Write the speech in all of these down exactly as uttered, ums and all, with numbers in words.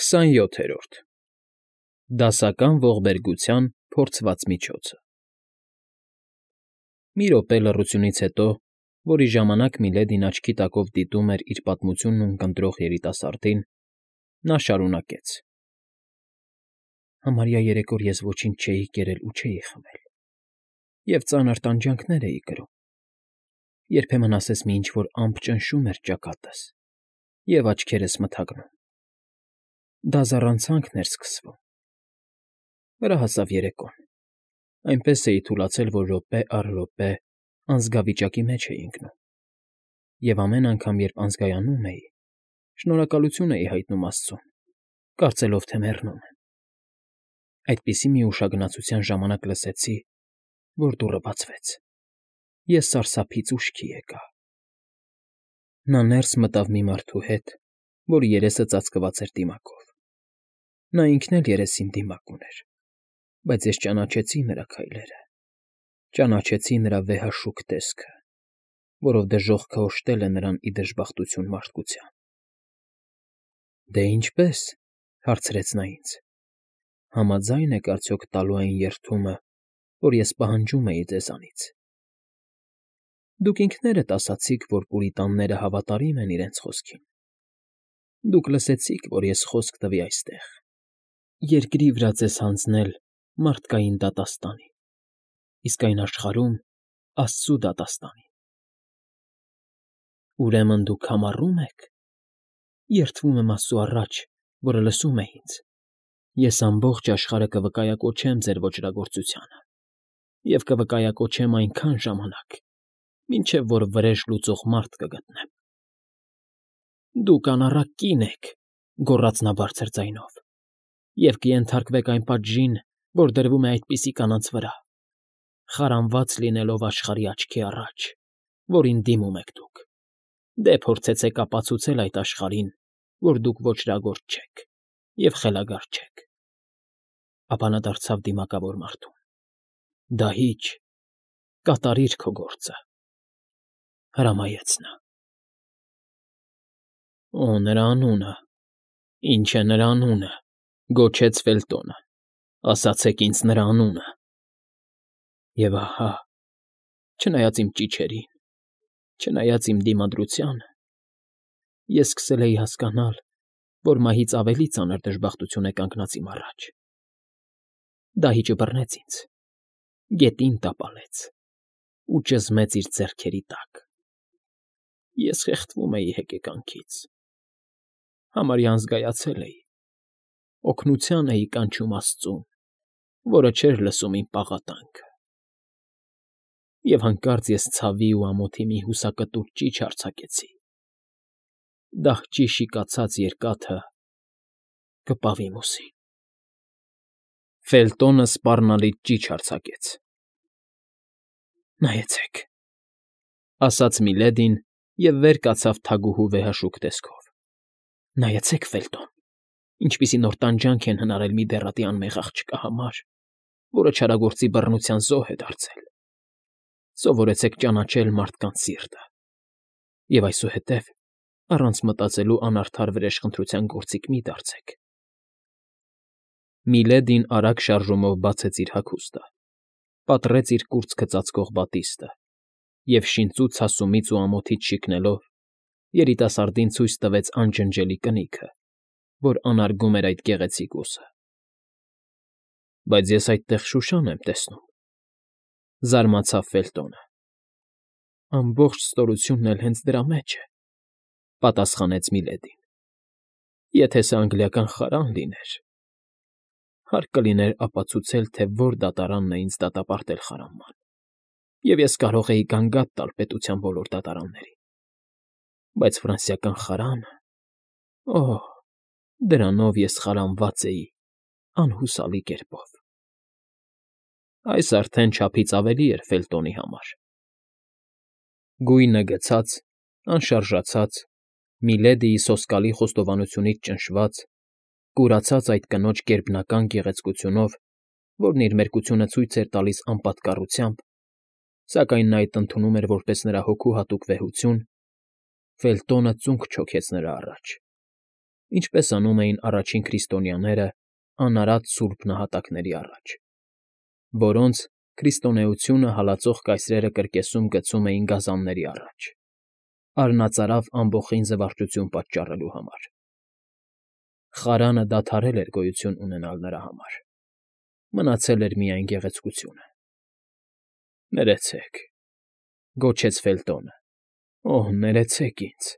Քսանյոթերորդ Դասական ողբերգության փորձված միջոցը Մի րոպե լռությունից հետո, որի ժամանակ Միլեդին աչքի տակով դիտում էր իր պատմությունն ունկնդրող երիտասարդին, նա շարունակեց. Համարյա երեք օր ես ոչինչ չէի կերել ու չէի խմել, և ծանր տանջանքներ էի կրում, երբեմն ասես մի ինչ֊որ ամպ ճնշում էր ճակատս և աչքերս մթագնում, դա զառանցանքն էր սկսվում, վրա հասավ երեկոն, այնպես էի թուլացել, որ րոպե առ րոպե անզգավիճակի մեջ էի ընկնում, և ամեն անգամ, երբ անզգայանում էի, շնորհակալություն էի հայտնում աստծուն, կարծելով, թե մեռնում եմ, այդպիսի մի ուշագնացության ժամանակ լսեցի, որ դուռը բացվեց, ես սարսափից ուշքի եկա, նա ներս մտավ մի մարդու հետ, որի երեսը ծածկված էր դիմակով, նա ինքն էլ երեսին դիմակ ուներ, բայց ես ճանաչեցի նրա քայլերը, ճանաչեցի նրա վեհաշուք տեսքը, որով դժոխքը օժտել է նրան ի դժբախտություն մարդկության։ ֊ Դե ինչպե՞ս,֊ հարցրեց նա ինձ,֊ համաձա՞յն եք արդյոք տալու այն երդումը, որ ես պահանջում էի ձեզանից։ Դուք ինքներդ ասացիք, որ պուրիտանները հավատարիմ են իրենց խոսքին, դուք լսեցիք, որ ես խոսք տվի այստեղ, երկրի վրա ձեզ հանձնել մարդկային դատաստանի, իսկ այն աշխարհում աստծու դատաստանին։ Ուրեմն դուք համառո՞ւմ եք։ Երդվում եմ Աստծու առաջ, որը լսում է ինձ, ես ամբողջ աշխարհը կվկայակոչեմ ձեր ոճրագործությանը և կվկայակոչեմ այնքան ժամանակ, մինչև որ վրեժ լուծող մարդ կգտնեմ։ ֊ Դուք անառակ կին եք,֊ գոռաց նա բարձր ձայնով,֊ և կենթարկվեք այն պատժին, որ դրվում է այդպիսի կանանց վրա, խարանված լինելով աշխարհի աչքի առաջ, որին դիմում եք դուք, դե փորձեցեք ապացուցել այդ աշխարհին, որ դուք ոճրագործ չեք և խելագար չեք։ Ապա նա դարձավ դիմակավոր մարդուն. դահիճ, կատարիր քո գործը,֊ հրամայեց նա։ ֊ Օ, նրա անունը, ի՞նչ է նրա անունը,֊ գոչեց Ֆելտոնը,֊ ասացեք ինձ նրա անունը։ Եվ ահա, չնայած իմ ճիչերին, չնայած իմ դիմադրությանը, ես սկսել էի հասկանալ, որ մահից ավելի ծանր դժբախտություն է կանգնած իմ առաջ։ Դահիճը բռնեց ինձ, գետին տապալեց ու ճզմեց իր ձեռքերի տակ։ Ես խեղդվում էի հեկեկանքից, համարյա անզգայացել էի, օգնության էի կանչում աստծուն, որը չէր լսում իմ պաղատանքը։ Եվ հանկարծ ես ցավի ու ամոթի մի հուսակտուր ճիչ արձակեցի. դահճի շիկացած երկաթը կպավ իմ ուսին։ Ֆելտոնը սպառնալից ճիչ արձակեց։ ֊ Նայեցեք,֊ ասաց Միլեդին և վեր կացավ թագուհու վեհաշուք տեսքով,֊ նայեցեք, Ֆելտոն, ինչպիսի նոր տանջանք են հնարել մի դեռատի անմեղ աղջկա համար, որը չարագործի բռնության զոհ է դարձել։ Սովորեցեք ճանաչել մարդկանց սիրտը և այսուհետև առանց մտածելու անարդար վրեժխնդրության գործիք մի դարձեք։ Միլեդին արագ շարժումով բացեց իր հագուստը, պատռեց իր կուրծքը ծածկող բատիստը և, շինծու ցասումից ու ամոթից շիկնելով, երիտասարդին ցույց տվեց անջնջելի կնիքը, որ անարգում էր այդ գեղեցիկ ուսը։ ֊ Բայց ես այդտեղ Շուշան եմ տեսնում,֊ զարմացավ Ֆելտոնը։ ֊ Ամբողջ ստորությունն էլ հենց դրա մեջ է,֊ պատասխանեց Միլեդին։ ֊ Եթե սա անգլիական խարան լիներ, հարկ կլիներ ապացուցել, թե որ դատարանն է ինձ դատապարտել խարանման, և ես կարող էի գանգատ տալ պետության բոլոր դատարաններին, բայց ֆրանսիական խարանը… օհ, դրանով ես խարանված էի անհուսալի կերպով։ Այս արդեն չափից ավելի էր Ֆելտոնի համար։ Գույնը գցած, անշարժացած, Միլեդիի սոսկալի խոստովանությունից ճնշված, կուրացած այդ կնոջ գերբնական գեղեցկությունով, որն իր մերկությունը ցույց էր տալիս անպատկառությամբ, սակայն նա այդ ընդունում էր որպես նրա հոգու հատուկ վեհություն, Ֆելտոնը ծունկ չոքեց նրա առաջ ինչպես անում էին առաջին քրիստոնյաները անարատ սուրբ նահատակների առաջ, որոնց քրիստոնեությունը հալածող կայսրերը կրկեսում գցում էին գազանների առաջ, արնածարավ ամբոխին զվարճություն պատճառելու համար։ Խարանը դադարել էր գոյություն ունենալ նրա համար, մնացել էր միայն գեղեցկությունը։ Ներեցեք, գոչեց Ֆելտոնը, օհ, ներեցեք ինձ։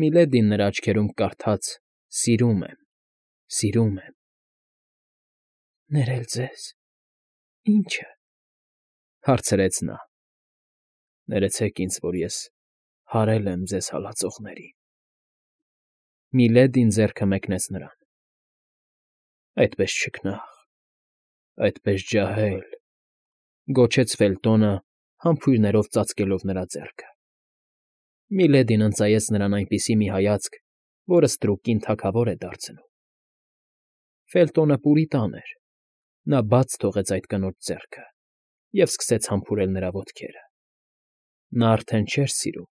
Միլեդին նրա աչքերում կարդաց. «Սիրում եմ, սիրում եմ»։ Ներել ձեզ, ի՞նչը, հարցրեց նա։ Ներեցեք ինձ, որ ես հարել եմ ձեզ հալածողներին։ Միլեդին ձեռքը մեկնեց նրան։ Այդպես չքնաղ, այդպես ջահել, գոչեց Ֆելտոնը, համբույրներով ծածկելով նրա ձեռքը։ Միլեդին ընծայեց նրան այնպիսի մի հայացք, որը ստրուկին թագավոր է դարձնում։ Ֆելտոնը պուրիտան էր, նա բաց թողեց այդ կնոջ ձեռքը և սկսեց համբուրել նրա ոտքերը։ Նա արդեն չէր սիրում,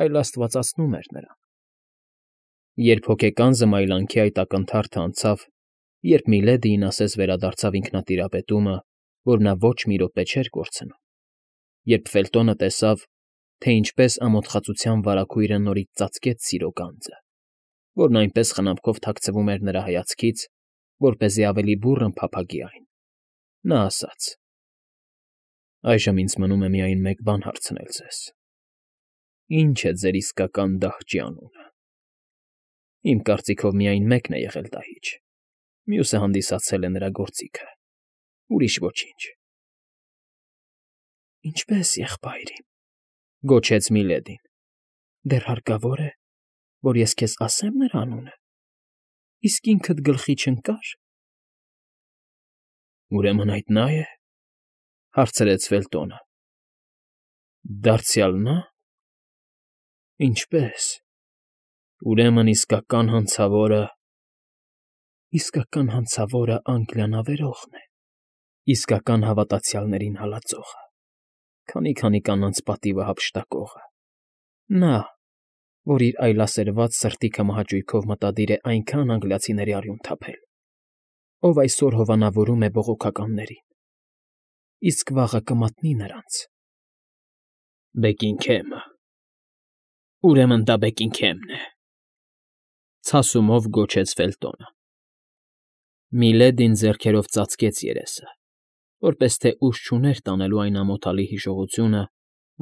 այլ աստվածացնում էր նրան։ Երբ հոգեկան զմայլանքի այդ ակնթարթը անցավ, երբ Միլեդիին ասես վերադարձավ ինքնատիրապետումը, որ նա ոչ մի րոպե չէր կորցնում, երբ Ֆելտոնը տեսավ, թե ինչպես ամոթխածության վարագույրը նորից ծածկեց սիրո գանձը, որն այնպես խնամքով թաքցվում էր նրա հայացքից, որպեսզի ավելի բուռն փափագի այն, նա ասաց. «Այժմ ինձ մնում է միայն մեկ բան հարցնել ձեզ. ի՞նչ է ձեր իսկական դահճի անունը։ Իմ կարծիքով միայն մեկն է եղել դահիճ, մյուսը հանդիսացել է նրա գործիքը, ուրիշ ոչինչ»։ Ինչպե՞ս, եղբայր իմ, գոչեց Միլեդին, դեռ հարկավո՞ր է, որ ես քեզ ասեմ նրա անունը, իսկ ինքդ գլխի չընկա՞ր։ Ուրեմն այդ նա՞ է, հարցրեց Ֆելտոնը։ Դարձյալ նա՞։ Ինչպե՞ս։ Ուրեմն իսկական հանցավորը… Իսկական հանցավորը Անգլիան ավերողն է, իսկական հավատացյալներին հալածողը, քանի֊քանի կանանց պատիվը հափշտակողը, նա, որ իր այլասերված սրտիքը մահաճույքով մտադիր է այնքան անգլիացիների արյուն թափել, ով այսօր հովանավորում է բողոքականներին, իսկ վաղը կմատնի նրանց։ Բեկինգհեմը… Ուրեմն դա Բեկինգհեմն է, ցասումով գոչեց Ֆելտոնը։ Միլեդին ձեռքերով ծածկեց երեսը, որպես թե ուժ չուներ տանելու այն ամոթալի հիշողությունը,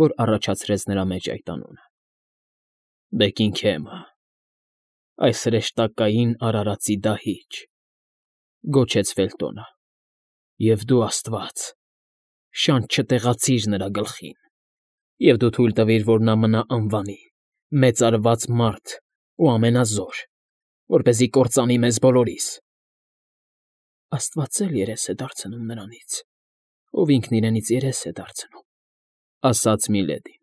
որ առաջացրեց նրա մեջ այդ անունը։ Բեկինգհեմը… Այս հրեշտակային արարածի դահիճ… Գոչեց Ֆելտոնը։ Եվ դու, աստված, շանտ չտեղացիր նրա գլխին, և դու թույլ տվիր, որ նա մնա անվանի, մեծարված մարդ ու ամենազոր, որպեսզի կործանի մեզ բոլորիս։ Աստված էլ երես է դարձնում նրանից, ով ինքն իրենից երես է դարձնում, ասաց Միլեդին։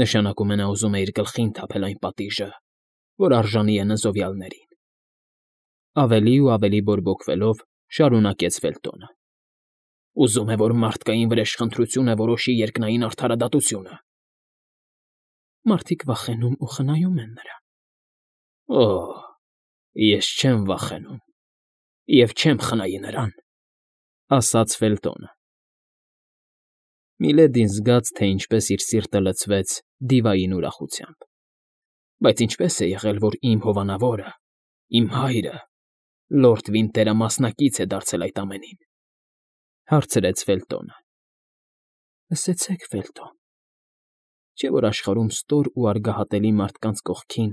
Նշանակում է նա ուզում է իր գլխին թափել այն պատիժը, որ արժանի է նզովյալներին։ Ավելի ու ավելի բորբոքվելով շարունակեց Ֆելտոնը։ Ուզում է, որ մարդկային վրեժխնդրությունը որոշի երկնային արդարադատությունը։ Մարդիկ վախենում ու խնայում են նրան։ Օհ, ես չեմ վախենում և չեմ խնայի նրան, ասաց Ֆելտոնը։ Միլեդին զգաց, թե ինչպես իր սիրտը լցվեց դիվային ուրախությամբ։ Բայց ինչպե՞ս է եղել, որ իմ հովանավորը, իմ հայրը, լորդ Վինտերը մասնակից է դարձել այդ ամենին, հարցրեց Ֆելտոնը։ Լսեցեք, Ֆելտոն, չէ՞ որ աշխարհում ստոր ու արգահատելի մարդկանց կողքին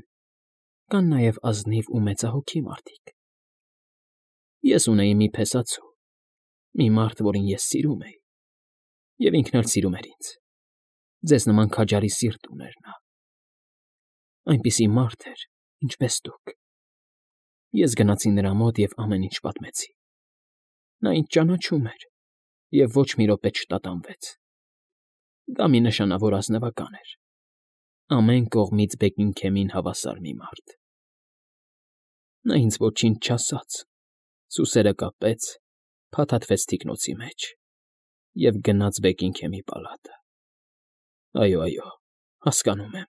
կան նաև ազնիվ ու մեծահոգի մարդիկ։ Ես ունեի մի փեսացու, մի մարդ, որին ես սիրում էի, և ինքն էլ սիրում էր ինձ, ձեզ նման քաջարի սիրտ ուներ նա։ Այնպիսի մարդ էր, ինչպես դուք։ Ես գնացի նրա մոտ և ամեն ինչ պատմեցի։ Նա ինձ ճանաչում էր և ոչ մի րոպե չտատանվեց։ Դա մի նշանավոր ազնվական էր, ամեն կողմից Բեկինգհեմին հավասար մի մարդ։ Նա ինձ ոչինչ չասաց, սուսերը կապեց, փաթաթվեց թիկնոցի մեջ և գնաց Բեկինգհեմի պալատը։ Այո, այո, հասկանում եմ,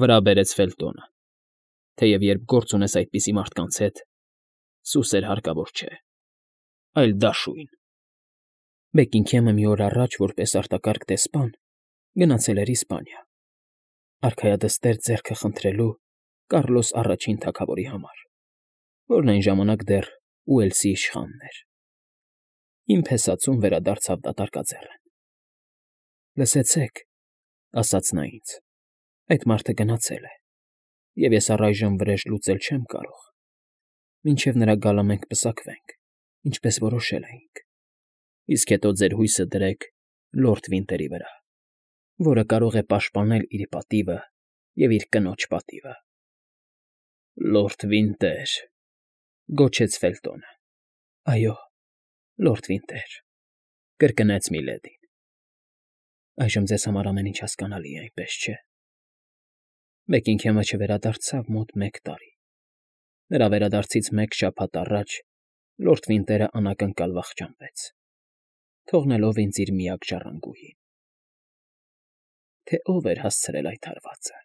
վրա բերեց Ֆելտոնը։ Թեև երբ գործ ունես այդպիսի մարդկանց հետ, սուսեր հարկավոր չէ, այլ դաշույն։ Բեքինգհեմը մի օր առաջ, որպես արտակարգ դեսպան, գնացել էր Իսպանիա, արքայադստեր ձեռքը խնդրելու Կառլոս առաջին թագավորի համար, որն այն ժամանակ դեռ Ուելսի իշխանն էր։ Իմ փեսացուն վերադարձավ դատարկաձեռն։ Լսեցեք, ասաց նա ինձ, այդ մարդը գնացել է, և ես առայժմ վրեժ լուծել չեմ կարող, մինչև նրա գալը մենք պսակվենք, ինչպես որոշել էինք, իսկ հետո ձեր հույսը դրեք լորդ Վինտերի վրա, որը կարող է պաշտպանել իր պատիվը և իր կնոջ պատիվը։ Լորդ Վինտեր, գոչեց Ֆելտոնը։ Այո, լորդ Վինտեր, կրկնեց Միլեդին։ Այժմ ձեզ համար ամեն ինչ հասկանալի է, այնպես չէ։ Բեքինգհեմը չվերադարձավ մոտ մեկ տարի։ Նրա վերադարձից մեկ շաբաթ առաջ լորդ Վինտերը անակնկալ վախճանվեց, թողնելով ինձ իր միակ ժառանգուհին։ Թե ով էր հասցրել այդ հարվածը,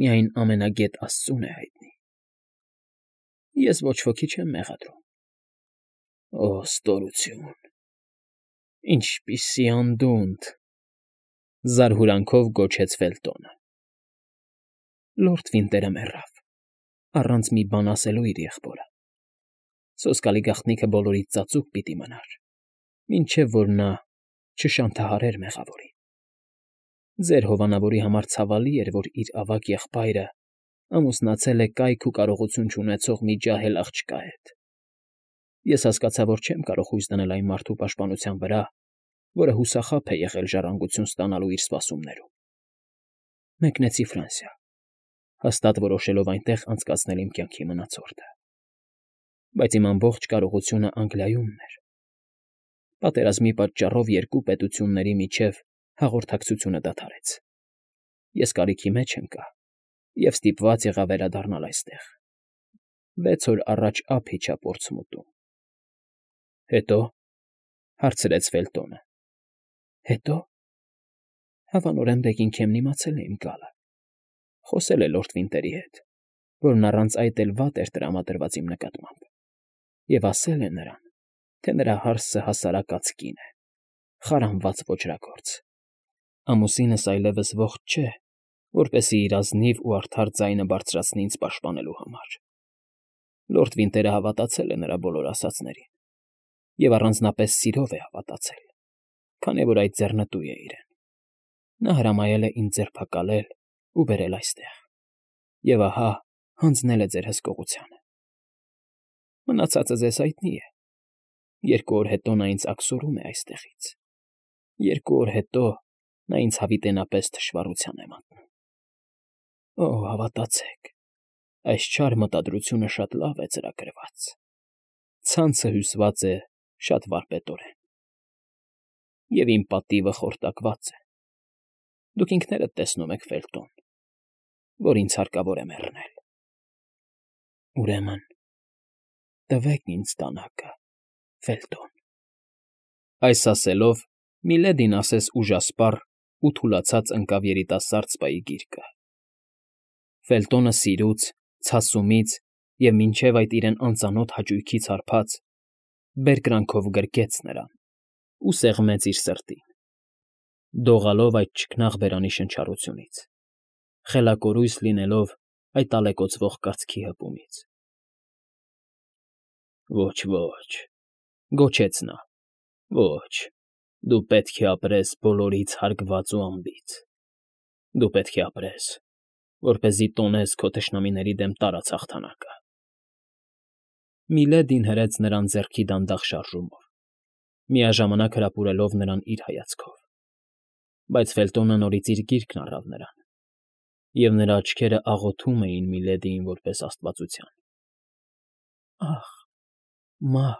միայն ամենագետ Աստծուն է հայտնի։ Ես ոչ ոքի չեմ մեղադրում։ Օ, ստորություն, ինչպիսի անդունդ, զարհուրանքով գոչեց Ֆելտոնը։ Լորդ Վինտերը մեռավ, առանց մի բան ասելու իր եղբորը։ Սոսկալի գաղտնիքը բոլորից ծածուկ պիտի մնար, մինչև որ նա չշանթահարեր մեղավորին։ Ձեր հովանավորի համար ցավալի էր, որ իր ավագ եղբայրը ամուսնացել է կայք ու կարողություն չունեցող մի ջահել աղջկա հետ։ Ես հասկացա, որ չեմ կարող հույս դնել այն մարդու պաշտպանության վրա, որը հուսախաբ է եղել ժառանգություն ստանալու իր սպասումներում։ Մեկնեցի Ֆրանսիա, հաստատ որոշելով այնտեղ անցկացնել իմ կյանքի մնացորդը։ Բայց իմ ամբողջ կարողությունը Անգլիայումն էր։ Պատերազմի պատճառով երկու պետությունների միջև հաղորդակցությունը դադարեց։ Ես կարիքի մեջ ընկա և ստիպված եղա վերադառնալ այստեղ։ Վեց օր առաջ ափ իջա Պորտսմութում։ Հետո, հարցրեց Ֆելտոնը։ Հետո, հավանորեն Բեքինգհեմն իմացել է իմ գալը, խոսել է լորդ Վինտերի հետ, որն առանց այդ էլ վատ էր տրամադրված իմ նկատմամբ, և ասել է նրան, թե նրա հարսը հասարակած կին է, խարանված ոճրագործ։ Ամուսինս այլևս ողջ չէ, որպեսզի իր ազնիվ ու արդար ձայնը բարձրացնի ինձ պաշտպանելու համար։ Լորդ Վինտերը հավատացել է նրա բոլոր ասածներին, և առանձնապես սիրով է հավատացել, քանի որ այդ ձեռնտու է իրեն։ Նա հրամայել է ինձ ձերբակալել ու բերել այստեղ, և ահա հանձնել է ձեր հսկողությանը։ Մնացածը ձեզ հայտնի է։ Երկու օր հետո նա ինձ աքսորում է այստեղից։ Երկու օր հետո նա ինձ հավիտենապես թշվառության է մատնում։ Օ, հավատացեք, այս չար մտադրությունը շատ լավ է ծրագրված։ Ցանցը հյուսված է շատ վարպետորեն։ Եվ իմ պատիվը խորտակված է։ Դուք ինքներդ տեսնում եք, Ֆելտոն, որ ինձ հարկավոր է մեռնել։ Ուրեմն, տվեք ինձ դանակը, Ֆելտոն։ Այս ասելով Միլեդին ասես ուժասպառ ու թուլացած ընկավ երիտասարդ սպայի գիրկը։ Ֆելտոնը սիրուց, ցասումից և մինչև այդ իրեն անծանոթ հաճույքից հարբած, բերկրանքով գրկեց նրան ու սեղմեց իր սրտին, դողալով այդ չքնաղ բերանի շնչառությունից, խելակորույս լինելով այդ ալեկոծվող կրծքի հպումից։ Ոչ, ոչ, գոչեց նա, ոչ, դու պետք է ապրես բոլորից հարգված ու անբիծ։ Դու պետք է ապրես, որպեսզի տոնես քո թշնամիների դեմ տարած հաղթանակը։ Միլեդին հրեց նրան ձեռքի դանդաղ շարժումով, միաժամանակ հրապուրելով նրան իր հայացքով, բայց Ֆելտոնը նորից իր գիրկն առավ նրան, և նրա աչքերը աղոթում էին Միլեդիին որպես աստվածության։ Ախ, մահ,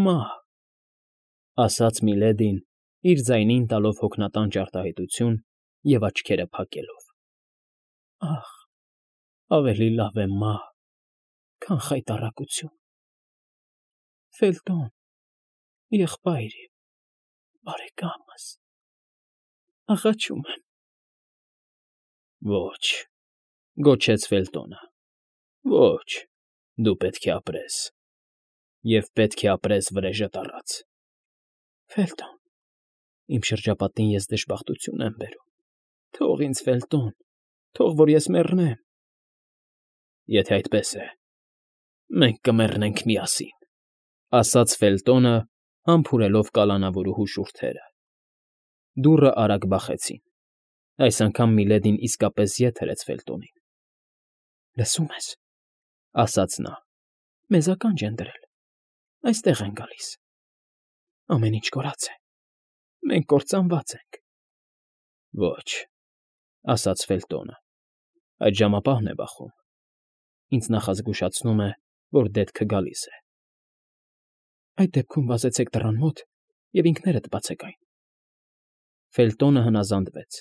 մահ, ասաց Միլեդին, իր ձայնին տալով հոգնատան ճարտահայտություն և աչքերը փակելով։ Ախ, ավելի լավ է մահ, քան խայտառակություն։ Ֆելտոն, եղբայր իմ, բարեկամս, աղաչում եմ։ Ոչ, գոչեց Ֆելտոնը, Ոչ, դու պետք է ապրես, և պետք է ապրես վրեժդ առած։ Ֆելտոն, իմ շրջապատին ես դժբախտություն եմ բերում, թող ինձ Ֆելտոն, թող որ ես մեռնեմ։ Եթե այդպես է, մենք կմեռնենք միասին, ֊ ասաց Ֆելտոնը, համբուրելով կալանավորուհու շուրթերը։ Դուռը արագ բախեցին։ Այս անգամ Միլեդին իսկապես ետ հրեց Ֆելտոնին։ ֊ Լսո՞ւմ ես, ֊ ասաց նա, ֊ մեզ ականջ են դրել, այստեղ են գալիս։ Ամեն ինչ կորած է, մենք կործանված ենք։ ֊ Ոչ, ֊ ասաց Ֆելտոնը, ֊ այդ ժամապահն է բախում, ինձ նախազգուշացնում է, որ դետքը գալիս է։ ֊ Այդ դեպքում վազեցեք դռան մոտ և ինքներդ բացեք այն։ Ֆելտոնը հնազանդվեց։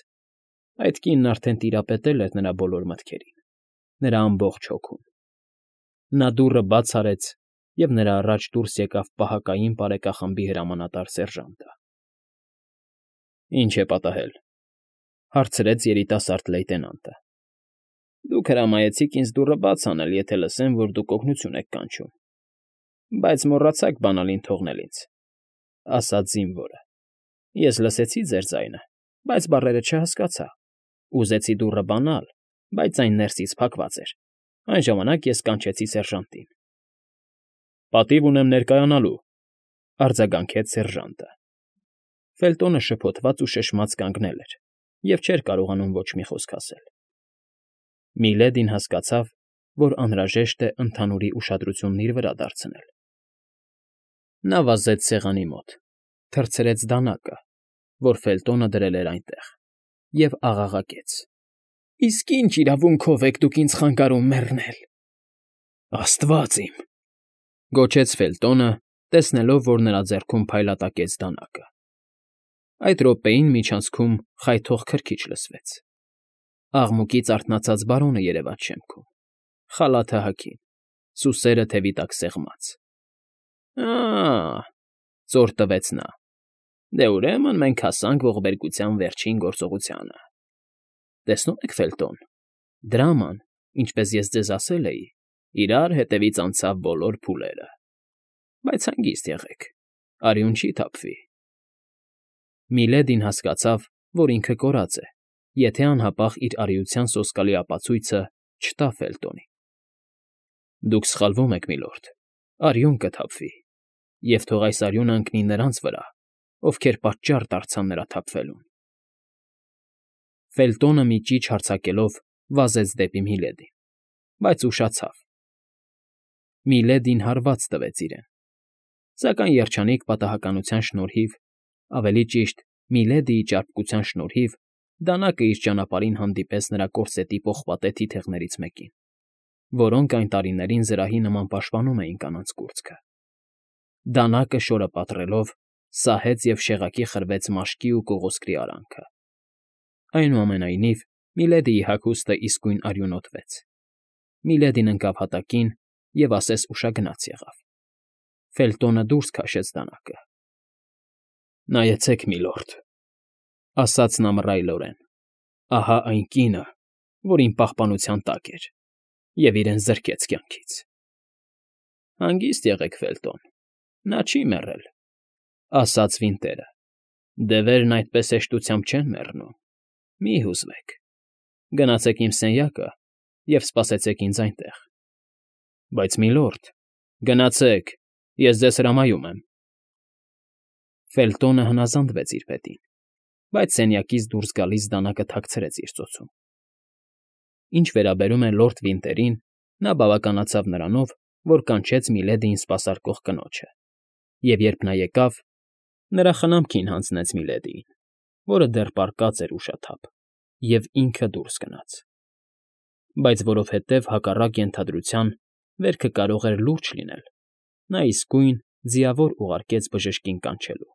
Այդ կինն արդեն տիրապետել էր նրա բոլոր մտքերին, նրա ամբողջ հոգուն։ Նա դուռը բաց արեց, և նրա առաջ դուրս եկավ պահակային բարեկախմբի հրամանատար սերժանտը։ ֊ Ի՞նչ է պատահել, ֊ հարցրեց երիտասարդ լեյտենանտը։ ֊ Դուք հրամայեցիք ինձ դուռը բաց անել, եթե լսեմ, որ դուք օգնություն եք կանչում, բայց մոռացաք բանալին թողնել ինձ, ֊ ասաց զինվորը։ Ես լսեցի ձեր ձայնը, բայց բառերը չհասկացա։ Ուզեցի դուռը բանալ, բայց այն ներսից փակված էր։ Այն ժամանակ ես կանչեցի սերժանտին։ ֊ Պատիվ ունեմ ներկայանալու, ֊ արձագանքեց սերժանտը։ Ֆելտոնը շփոթված ու շշմած կանգնել էր և չէր կարողանում ոչ մի խոսք ասել։ Միլեդին հասկացավ, որ անհրաժեշտ է ընդհանուրի ուշադրությունն իր վրա դարձնել։ Նա վազեց սեղանի մոտ, թռցրեց դանակը, որ Ֆելտոնը դրել էր այնտեղ, և աղաղակեց. ֊ Իսկ ի՞նչ իրավունքով եք դուք ինձ խանգարում մեռնել։ ֊ Աստվա՜ծ իմ, ֊ գոչեց Ֆելտոնը, տեսնելով, որ նրա ձեռքում փայլատակեց դանակը։ Այդ րոպեին միջանցքում խայթող քրքիջ լսվեց։ Աղմուկից արթնացած բարոնը երևաց շեմքում, խալաթը հագին, սուսերը թևի տակ սեղմած։ ֊ Ա՜, ֊ ծոր տվեց նա, ֊ դե, ուրեմն մենք հասանք ողբերգության վերջին գործողությանը։ Տեսնում եք, Ֆելտոն, դրաման, ինչպես ես ձեզ ասել էի, իրար հետևից անցավ բոլոր փուլերը։ Բայց հանգիստ եղեք, արյուն չի թափվի։ Միլեդին հասկացավ, որ ինքը կորած է, եթե անհապաղ իր արիության սոսկալի ապացույցը չտա Ֆելտոնին։ Դուք սխալվում եք, միլորդ, արյուն կթափվի, և թող այս արյունը ընկնի նրանց վրա, ովքեր պատճառ դարձան նրա թափվելուն։ Ֆելտոնը մի ճիչ հարձակելով վազեց դեպի Միլեդին, բայց ուշացավ։ Միլեդին հարված տվեց իրեն, սակայն երջանիկ պատահականության շնորհիվ, ավելի ճիշտ Միլեդիի ճարպկության շնորհիվ, դանակը իր ճանապարհին հանդիպեց նրա կորսետի պողպատե թիթեղներից մեկին, որոնք այն տարիներին զրահի նման պաշտպանում էին կանանց կուրծքը։ Դանակը շորը պատռելով, սահեց և շեղակի խրվեց մաշկի ու կողոսկրի արանքը։ Այնուամենայնիվ, Միլեդիի հագուստը իսկույն արյունոտվեց։ Միլեդին ընկավ հատակին և ասես ուշագնաց եղավ։ Ֆելտոնը դուրս քաշեց դանակը։ ֊ Նայեցեք, միլորդ, ֊ ասաց նա մռայլորեն, ֊ ահա այն կինը, որ իմ պահպանության տակ էր և իրեն զրկեց կյանքից։ ֊ Հանգիստ եղեք, Ֆելտոն, նա չի մեռել, ֊ ասաց Վինտերը։ Դևերն այդպես հեշտությամբ չեն մեռնում, մի՛ հուզվեք։ Գնացեք իմ սենյակը և սպասեցեք ինձ այնտեղ։ ֊ Բայց, միլորդ, գնացեք, ես ձեզ հրամայում եմ։ Ֆելտոնը հնազանդվեց իր պետին, բայց սենյակից դուրս գալիս դանակը թաքցրեց իր ծոցում։ Ինչ վերաբերում է լորդ Վինտերին, նա բավականացավ նրանով, որ կանչեց Միլեդիին սպասարկող կնոջը, և երբ նա եկավ, նրա խնամքին հանձնեց Միլեդիին, որը դեռ պառկած էր ուշաթափ, և ինքը դուրս գնաց։ Բայց որովհետև, հակառակ ենթադրության, վերքը կարող էր լուրջ լինել, նա իսկույն ձիավոր ուղարկեց բժշկին կանչելու։